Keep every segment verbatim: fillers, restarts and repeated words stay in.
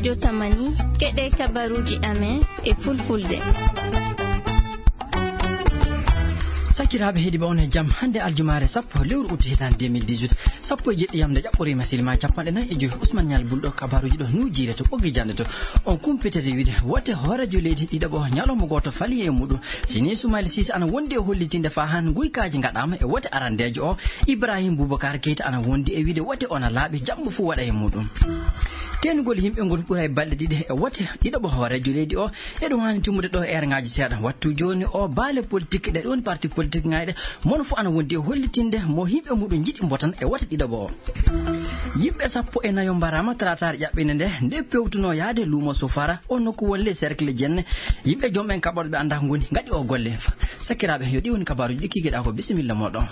Jotamani, keɗee kabaruuji amen e fulfulde. Sakiraaɓe heɗiiɓe, on e jam. Hannde aljumaare sappo lewru ut hitaande deux mille dix-huit, sappo e jeɗɗi yamnde ƴaɓɓoriima silima capanɗe nayi e joy. Usman Ñal Bulɗo, kabaruuji ɗo nuujiire to ɓoggi jannde to. On kumpitete wiide wote hooreejo leydi ɗiɗaɓo ñalawma gooto fali e muɗum. Sini Sumayla Siise ana wondi e hollitinde faa han nguykaaji ngaɗaama e wote arandeejo o. Ibrahim Bubakar Keita ana wondi e wiide wote ona laaɓi, jambo fuu waɗa e muɗum. Teenugol yimɓe ngol ɓuray balɗe ɗiɗi e wote ɗiɗaɓo hooreejo leydi o. Eɗum haani timmude ɗo e erŋaaji seeɗa. Wattu jooni o, baale politik ɗe ɗon parti politik ŋayɗe, mono fuu ana wondi e hollitinde mo yimɓe muɗum njiɗi mbotan e wote ɗiɗaɓo o. Yimɓe sappo e nayo mbaraama talaataare ƴaɓɓinde nde, nde pewtunoo yahde luumo Sofara, o nokku woni ley cercle Jenne. Yimɓe joom en kaɓorɗe ɓe anndaa ngoni ngaɗi o golle. Sakiraaɓe, yo ɗi woni kabaaruuji ɗi kiikiɗaa ko. Bisimilla mooɗon.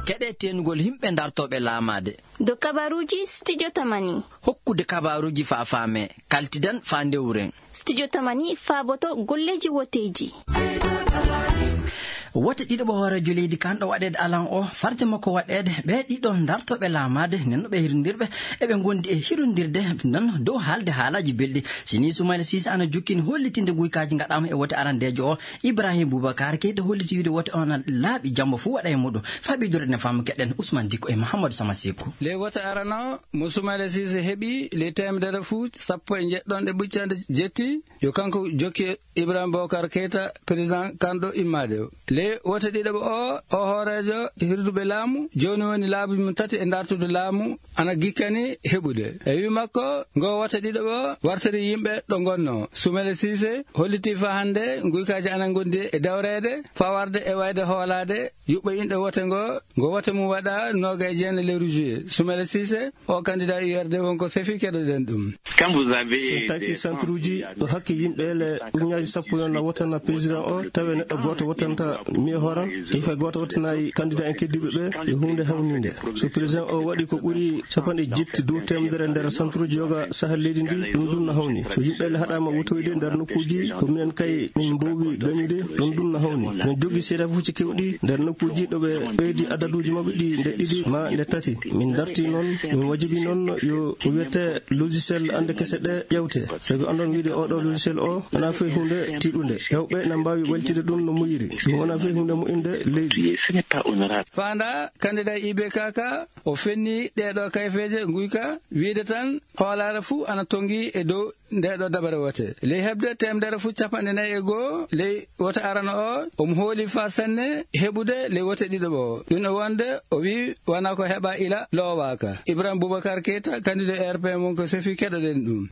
Keɗee teenugol yimɓe dartooɓe laamaade. Dow kabaaruuji Studio Tamani. Hokkude kabaaruuji faa faamee, kaltidan faa ndewren. Studio Tamani faaboto golleeji woteeji. Wote ɗiɗaɓo hooreejo leydi kanɗo waɗeede alan o, farde makko waɗeede, ɓee ɗiɗo dartooɓe laamaade, nden no ɓe hirondirɓe, eɓe ngondi e hirondirde non dow haalde haalaaji belɗi. Sini Sumayla Siise ana jokkini hollitinde nguykaaji ngaɗaama e wote arandeejo o. Ibrahim Bubakar Keita holliti wiide wote on laaɓi, jambo fuu waɗa e muɗum. Faa ɓeydude ne faama, keɗen Usman Dikko e Mahamadou Sama Siku. Ley wote arano o, mo Sumayla Siise heɓi ley teemedere fuu sappo e njeɗɗon ɗe ɓuccande jetti, yo kanko jokki Ibrahim Bokar Keita, président kanɗo immaade o. Ley wote ɗiɗaɓo o, o hooreejo hirduɓe laamu, jooni woni laabi mum tati e dartude laamu, ana gikkani heɓude. E wii makko, ngoo wote ɗiɗaɓo wartiri yimɓe ɗo ngonnoo. Sumayla Siise hollitii faa hannde nguykaaji ana ngondi e dawreede, faa warde e wayde hoolaade yuɓɓo inɗe wote ngoo, ngo wote mum waɗaa noogay e jeenayi lewru juillet. Sumayla Siise, o candidat U R D won ko sefi, keɗoɗen ɗum. Quand vous avez So tawi des centre uji ɗo hakke yimɓe ele ujunnaaji sappo yo na wotana président o, tawi neɗɗo gooto wotanta miyo hooran, e fay gooto wotanaay candidat en keddiiɓe ɓe, yo huunde hawniinde. So président o waɗi ko ɓuri capanɗe jetti dow teemedere nder centre uji yoga sahal leydi ndi, ɗum ɗum no hawni. So yimɓe ele haɗaama wotoyde nder nokkuuji, ko minen kay min mboowi gañude, ɗum ɗum no hawni. Min jogii seedeefuuji keewɗi nder nokkuuji ɗo ɓe ɓeydi adaduuji maɓɓe ɗi nde ɗiɗi maa nde tati. Min dartii noon, min wajibi noon yo ko wiyetee logiciel annde kese ɗe ƴeewtee. Sabi anndon wiide oo ɗoo logiciel o wonaa fay huunde tiiɗunde. Heewɓe na mbaawi waylitde ɗum no moƴƴiri. Ɗum wonaa fay huunde moƴƴinde leydi. Ce n'est pas honorable. Faandaa, candidat I B K ka, o fenni ɗee ɗoo kayfeeje nguyka, wiide tan hoolaare fuu ana tonngi e dow ndee ɗoo dabare wote. Ley heɓde teemedere fuu capanɗe nayi e goo ley wote arano o, omo hooli faa sanne heɓude ley wote ɗiɗaɓo o. Ɗum e wonde o wii wanaa ko heɓaa ila loowaaka. Ibrahim Boubacar Keita, candidat R P M, won ko sefi, keɗoɗen ɗum.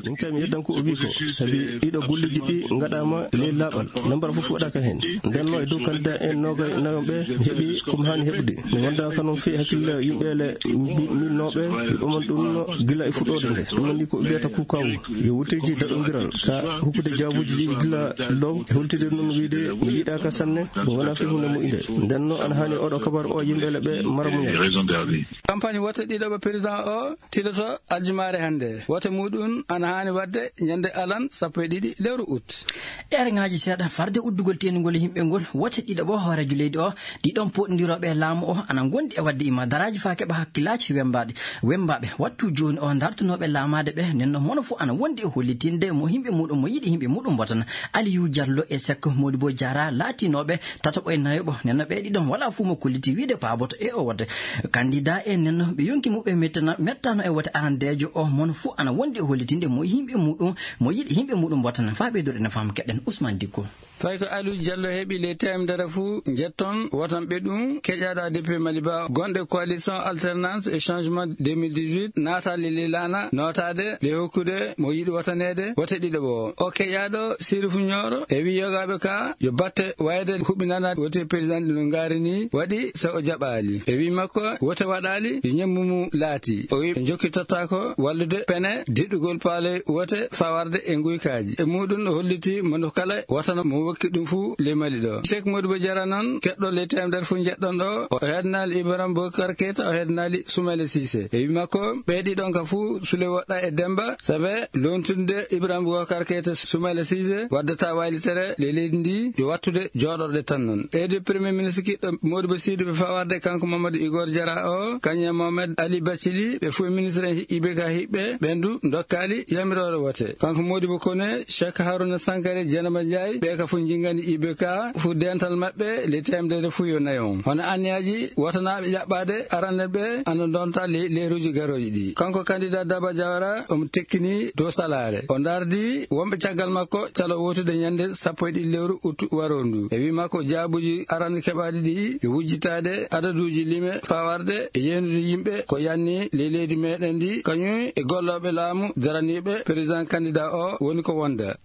Min kay mi yeddan ko o wii ko, sabi ɗiɗo golleeji ɗi ngaɗaama ley laaɓal, nambara fof waɗaaka heen. Nden noon e dow candidat en noogay nayo ɓe, mi heɓi ko mi haani heɓude. Mi wondaaka noon fii hakkille yimɓe ele mbi-, miilnooɓe, mi ɓaman ɗum no gila e fuɗɗoode nde. Ɗum woni ko ɓe mbiyata kukawu. Yo wuteeji daɗondiral ka hokkude jaabuuji ɗi gila law e holtide noon wiide mi yiɗaaka sanne, ɗum wonaa fii huunde moƴƴunde. Nden noon ana haani oɗo kabaru o yimɓe ele ɓe mara muñal. Campagne wote ɗiɗaɓo président o tiloto aljumaare hannde. Wote muuɗum ana haani waɗde ñande alan sappo e ɗiɗi lewru ut. Eerŋaaji seeɗa farde uddugol teenugol yimɓe ngol, wote ɗiɗaɓo hooreejo leydi o, ɗiɗon pooɗondirooɓe e laamu o ana ngondi e waɗde imadaraaji faa keɓa hakkillaaji wembaaɗi, wembaaɓe. Wattu jooni o, dartunooɓe laamaade ɓe, nden non mono fof ana wondi e hollitinde mo yimɓe muuɗum, mo yiɗi yimɓe muuɗum mbotana. Aliyu Jallo e Sekko Modibo Jaara laatinooɓe tataɓo e nayoɓo, nden non ɓee ɗiɗon walaa fof mo kolliti wiide paaboto e o wote. Kandidaa en nden non ɓe yonki muɓɓe mettana-, mettaano e wote arandeejo o, mono fof ana wondi e hollitinde mo yimɓe muuɗum, mo yiɗi yimɓe muuɗum mbotana. Faa ɓeydude ene faama, keɗen Ousmane Dicko. Fay ko Aliou Diallo heɓi ley teemedere fuu njetton wotanɓe ɗum, keƴaaɗo A D P Maliba gonɗo e coalition Alternance et Changement deux mille dix-huit naataali ley laana nootaade ley hokkude mo yiɗi wotaneede wote ɗiɗaɓo o. O keƴaaɗo Sirif Nioro e wii yogaaɓe ka yo batte wayde huɓinana wote président no ngaari nii waɗi so o jaɓaali. E wii makko wote waɗaali, yo ñemmu mum laati. O wii ɓe njokkitotaako wallude pene diɗɗugol paale wote faa warde e nguykaaji. E muuɗum o holliti mo kala wotana mo wokki ɗum fuu ley Mali ɗoo. Seek Modibo Jara non, keɗɗo ley teemedere fuu njeɗɗon ɗoo, o heedanaali Ibrahim Bokar Keita, o heedanaali Sumayla Sise. E wii makko, ɓee ɗiɗon ka fuu sule woɗɗa e Demba, sabe loontude Ibrahim Bokar Keita Sumayla Sise waddataa waylitere ley leydi ndii, yo wattude jooɗorɗe tan non. Eedo Premier Ministre kiɗɗo Modibo Sidibe faa warde kanko Mamadou Igor Jara o, kañum e Mohamed Ali Bacili, ɓe fuu e ministre en hiɓɓe ka hiɓɓe, ɓen du ndokkaali yamiroore wote. Kanko Modibo Kone, Cheikh Haruna Sankare, Dieynaba Ndiaye, ɓe ka fuu njinngani I B K, fuu deental maɓɓe ley teemedere fuu yo nayon. Hono anniyaaji wotanaaɓe ƴaɓɓaade aranɓe ɓe ana ndonta ley leeruuji garooji ɗii. Kanko kandidaa Daba Jawara, omo tekkini dow salaare. O ndaardi wonɓe caggal makko calo wootude ñannde sappo e ɗiɗi lewru ut waroo nduu. E wii makko jaabuuji aranɓe keɓaaɗi ɗii yo wujjitaade adaduuji lime faa warde e yeenude yimɓe ko yanni ley leydi meeɗen ndii, kañum e gollooɓe laamu daraniiɓe président kandidaa o woni ko wonda.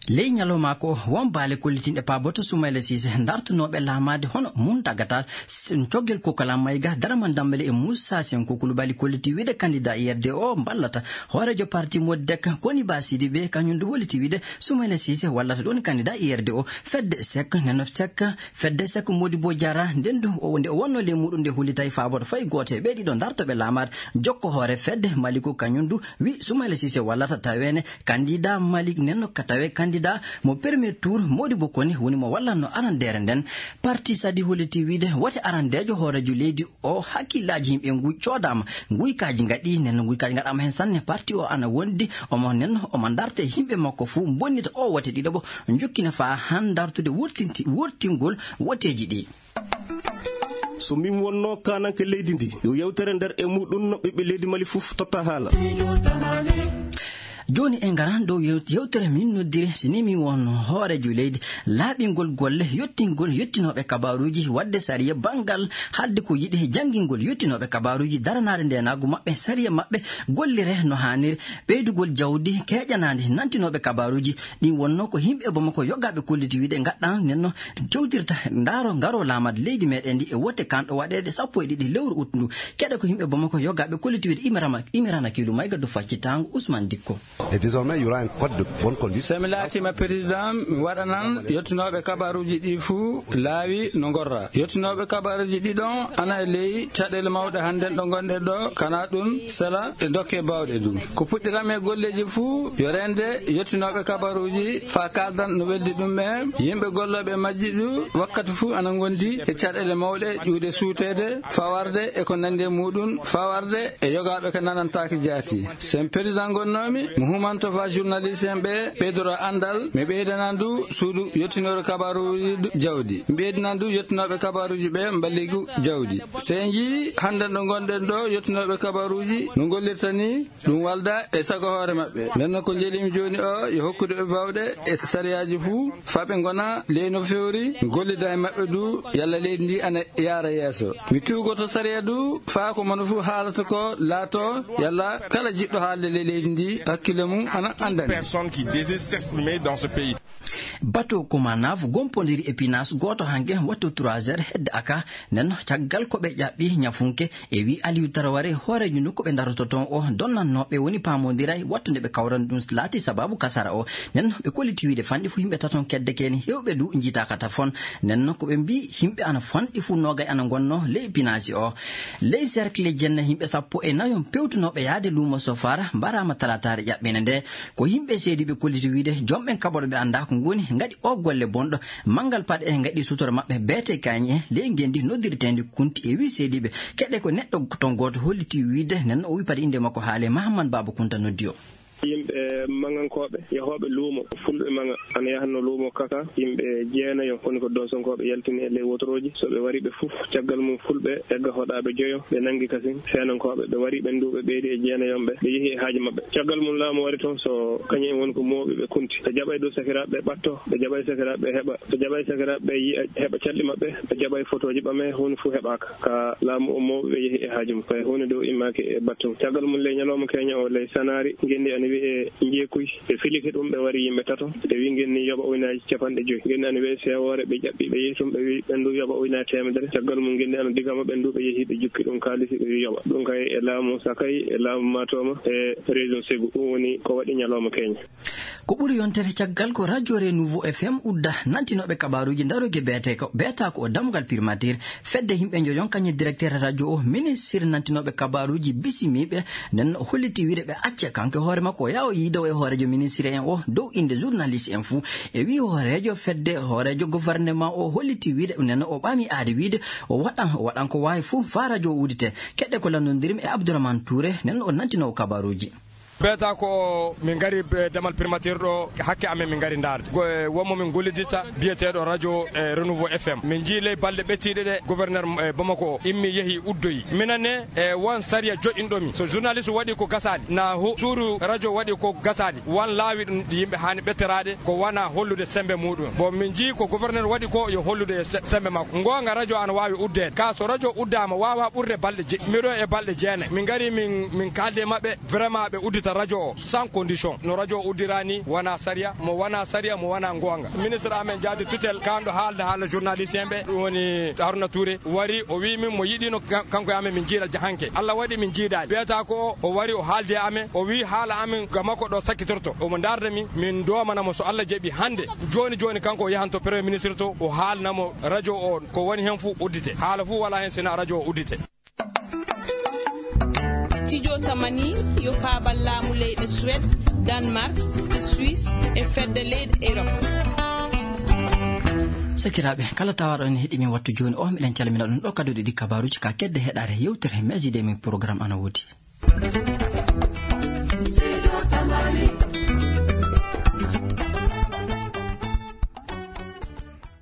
Ley ñalawma ko, won baale kollitinɗe paaboto Sumayla Siise, dartunooɓe laamaade hono Muntagatal, s-, Coggel Kokola Mayga, Daraman Dambale e Muusa Senko Kulubali kolliti wiide kandidaa I R D o mballata hooreejo parti Modek, Koniba Sidibe, kañum du holliti wiide Sumayla Siise wallata ɗoon kandidaa I R D o. Fedde Sek, Neno Sek, Fedde Sek Modibo Jara, nden du o, nde o wonnoo ley muuɗum nde hollitay faaboto fay gooto e ɓee ɗiɗo dartooɓe laamaade jokko hoore fedde Maliku, kañum du wi Sumayla Siise wallata taweene kandidaa Malik Nenno ka tawee kandidaa mo premier tour. Modibo Kone woni mo wallatnoo arandeere nden. Parti Sadi holliti wiide wote arandeejo hooreejo leydi o, hakkillaaji yimɓe nguy coodaama, nguykaaji ngaɗii, nden nguykaaji ngaɗaama heen sanne. Parti o ana wondi, omo nen, omo darta e yimɓe makko fuu, mbonnita oo wote ɗiɗaɓo, njokkina faa han dartude wurtinti-, wurtingol woteeji ɗii. So min wonnoo kaananke leydi ndii, yo yewtere nder e muuɗum, ɓiɓɓe leydi Mali fof totta haala. Jooni en ngaran dow yew-, yewtere min noddiri, si ni min wonnoo hooreejo leydi, laaɓingol golle, yottingol yottinooɓe kabaaruuji, waɗde sariya banngal, haalde ko yiɗi, janngingol yottinooɓe kabaaruuji, daranaade ndeenaagu maɓɓe, sariya maɓɓe, gollire no haaniri, ɓeydugol jawdi keeƴanaandi nantinooɓe kabaaruuji. Ɗin wonnoo ko yimɓe Bamako yogaaɓe kolliti wiide ngaɗɗan nden no jowtirta, ndaaro, ngaroo laamaade leydi meeɗen ndi e wote kanɗo waɗeede sappo e ɗiɗi lewru ut ndu. Keɗe ko yimɓe Bamako yogaaɓe kolliti wiide Imirama, Imirana Kiilu Mayga du faccitaango Usman Dikko. Et désormais, il y aura un code de bonne conduite. So mi laatiima président, mi waɗanan yottinooɓe kabaaruuji ɗii fuu laawi no ngorra. Yottinooɓe kabaaruuji ɗii ɗon ana e ley caɗeele mawɗe hannden ɗo ngonɗen ɗo, kana ɗun sela e dokke baawɗe du. Ko puɗɗiram e golleeji fuu, yo reende yottinooɓe kabaaruuji faa kaaldan no weldi ɗum ɓe. Yimɓe gollooɓe e majji du, wakkati fuu ana ngondi e caɗeele mawɗe ƴuwde suuteede, fawarde e ko nanndi e muuɗum, fawarde e yogaaɓe ko nanantaake jaati. Sen président ngonnoomi, mi humanto faa journaliste en ɓe ɓeydoro anndal, mi ɓeydana ndu suudu yottinooru kabaaruuji du jawdi. Mi ɓeydana ndu yottinooɓe kabaaruuji ɓe mballigu jawdi. Sey njii hannden ɗo ngonɗen ɗo, yottinooɓe kabaaruuji no ngollirta nii, ɗum walda e sago hoore maɓɓe. Nden noon ko njelimi jooni o, yo hokkude ɓe baawɗe e sariyaaji fuu, faa ɓe ngona ley no fewri, gollida e maɓɓe duu, yalla leydi ndi ana yaara yeeso. Mi tuugoto sariya duu, faa ko mono fuu haalata ko laato, yalla kala jiɗɗo haalde ley leydi ndi, hakkille mum ana anndani. Personne qui désire s'exprimer dans ce pays. Bateau Komanaf gompondiri e pinaas gooto hanke wattu trois heures hedde aka. Nden caggal ko ɓe ƴaɓɓi ñafunke, e wi Aliou Traoré, hooreejo nokku ɓe ndaroto toon o, donnannooɓe woni paamondiray wattu nde ɓe kawrani ɗum laati sababu kasara o. Nden ɓe kolliti wiide fanɗi fuu yimɓe taton kedde keeni hewɓe du njiitaaka tafon. Nden ko ɓe mbii yimɓe ana fanɗi fuu noogay ana ngonnoo ley pinaasi o. Ley cercle jenne yimɓe sappo e nayon pewtunooɓe yaade luumo Sofara mbaraama talaataare ƴaɓɓende nde. Ko yimɓe seediiɓe kolliti wiide, joom ɓen kaɓorɗe ɓe anndaa ko ngoni, ngaɗi oo golle bonɗo. Manngal paɗe en ngaɗi sutora maɓɓe beete kaañi en, ley ngenndi noddirteendi Kunti e wii seediiɓe. Keɗe ko neɗɗo ton gooto holliti wiide, nden o wii paɗe innde makko haale Mahamman Baaba Kunta noddi o. Yimɓe maŋankooɓe, yahooɓe luumo, fulɓe maŋa, ana yahanno luumo kaka, yimɓe jeenayo, woni ko doosonkooɓe yaltini e ley wotorooji. So ɓe wari ɓe fof, caggal mum fulɓe egga hoɗaaɓe joyo, ɓe nanngi kasin seenankooɓe, ɓe wari ɓen duu ɓe ɓeydi e jeenayon ɓe, ɓe yehi e haaji maɓɓe. Caggal mum laamu wari toon, so kañum en woni ko mooɓi ɓe Kunti. Ɓe jaɓay dow sakiraaɓe ɓe ɓatto, ɓe jaɓay sakiraaɓe ɓe heɓa, ɓe jaɓay sakiraaɓe ɓe yi'a, heɓa calɗi maɓɓe, ɓe jaɓay fotooji ɓame, huunde fof heɓaaka. Ka laamu o mooɓi ɓe yehi e haaji mum. Fay huunde dow immaaki e battu. Caggal mum ley ñalawma keeña o, ley Sanaari, ngenndi ana Wi e njeekuy, ɓe filike ɗum, ɓe wari yimɓe tato, ɓe wi ngenni yoɓa uynaaji capanɗe joy. Ngenni ana wiye sewoore, ɓe ƴaɓɓi, ɓe yehi tun, ɓe wi ɓen du yoɓa uynaaji teemedere. Caggal mum ngenni ana diga ma, ɓen du ɓe yehi, ɓe jukki ɗum kaalisi, ɓe wi yoɓa. Ɗum kay e laamu Sakay, e laamu Maatoma, e région Ségou. Ɗum woni ko waɗi ñalawma keña. Ko ɓuri yontere caggal ko radio Renouveau F M udda nantinooɓe kabaaruuji ndaroyge beetee ko, beetaa ko o dammugal primature. Fedde yimɓe njoyon kañum e directeur radio o, ministre nantinooɓe kabaaruuji bisimiiɓe, nden o holliti wiide ɓe acca. Kanko e hoore makko o yaha o yiida o e hooreejo ministre en o dow innde journaliste en fuu. E wii hooreejo fedde, hooreejo gouvernement o holliti wiide nden o ɓami aade wiide o waɗan, o waɗan ko waawi fuu faa radio o udite. Keɗɗe ko lanndondirim e Abdourahmane Touré, nden o nantinoowo kabaaruuji. Beetaa ko min ngari, eh, damal primature ɗo, hakke amen min ngari ndaarde. Go-, eh, wonmo min gollidita, biyeteeɗo radio, eh, Renouveau F M. Min njii ley balɗe ɓettiiɗe ɗe, gouverneur, eh, Bamako o immi, yehi, uddoyi. Minen ne, eh, won sariya joɗɗinɗo min. So journaliste waɗi ko gasaali, na hu-, suudu radio waɗi ko gasaali, wan laawi ɗum ɗi yimɓe haani ɓetteraade, ko wona hollude sembe muɗum. Bon, min njii ko gouverneur waɗi ko, yo hollude se-, sembe makko. Ngoonga, radio ana waawi uddeede. Ka so radio uddaama, waawa ɓurde balɗe je-, miɗo e balɗe jeenayi. Min ngari, min, min kaaldi e maɓɓe. Vraiment, ɓe uddita radio o sans condition. No radio o uddira ni, wona sariya, mo wona sariya, mo wona ngoonga. Ministre amen jaati tutelle, kanɗo haalda haala journaliste en ɓe, ɗum woni Haruna Touré, wari, o wii min mo yiɗino ka-, kanko e amen min jiida jahanke. Allah waɗi min jiidaali. Beetaa ko o, o wari, o haaldi e amen, o wii haala amen ga makko ɗo sakkitorto. Omo ndaarda min, min doomana mo so Allah jaɓi hannde. Jooni jooni kanko o yahan to Premier Ministre to, o haalna mo radio o ko woni hen fuu uddite. Haala fuu walaa hen sina radio o uddite. Studio Tamani yo paabal laamu leyɗe Suwed, Danmark, Suisse e fedde leyɗe Erop. Sakiraaɓe, kala tawaaɗo en heɗii min wattu jooni o, miɗen calmina ɗum ɗo kadi ɗiɗi kabaaruuji ka kedde heɗaare yewtere Meejideemin programme ana woodi.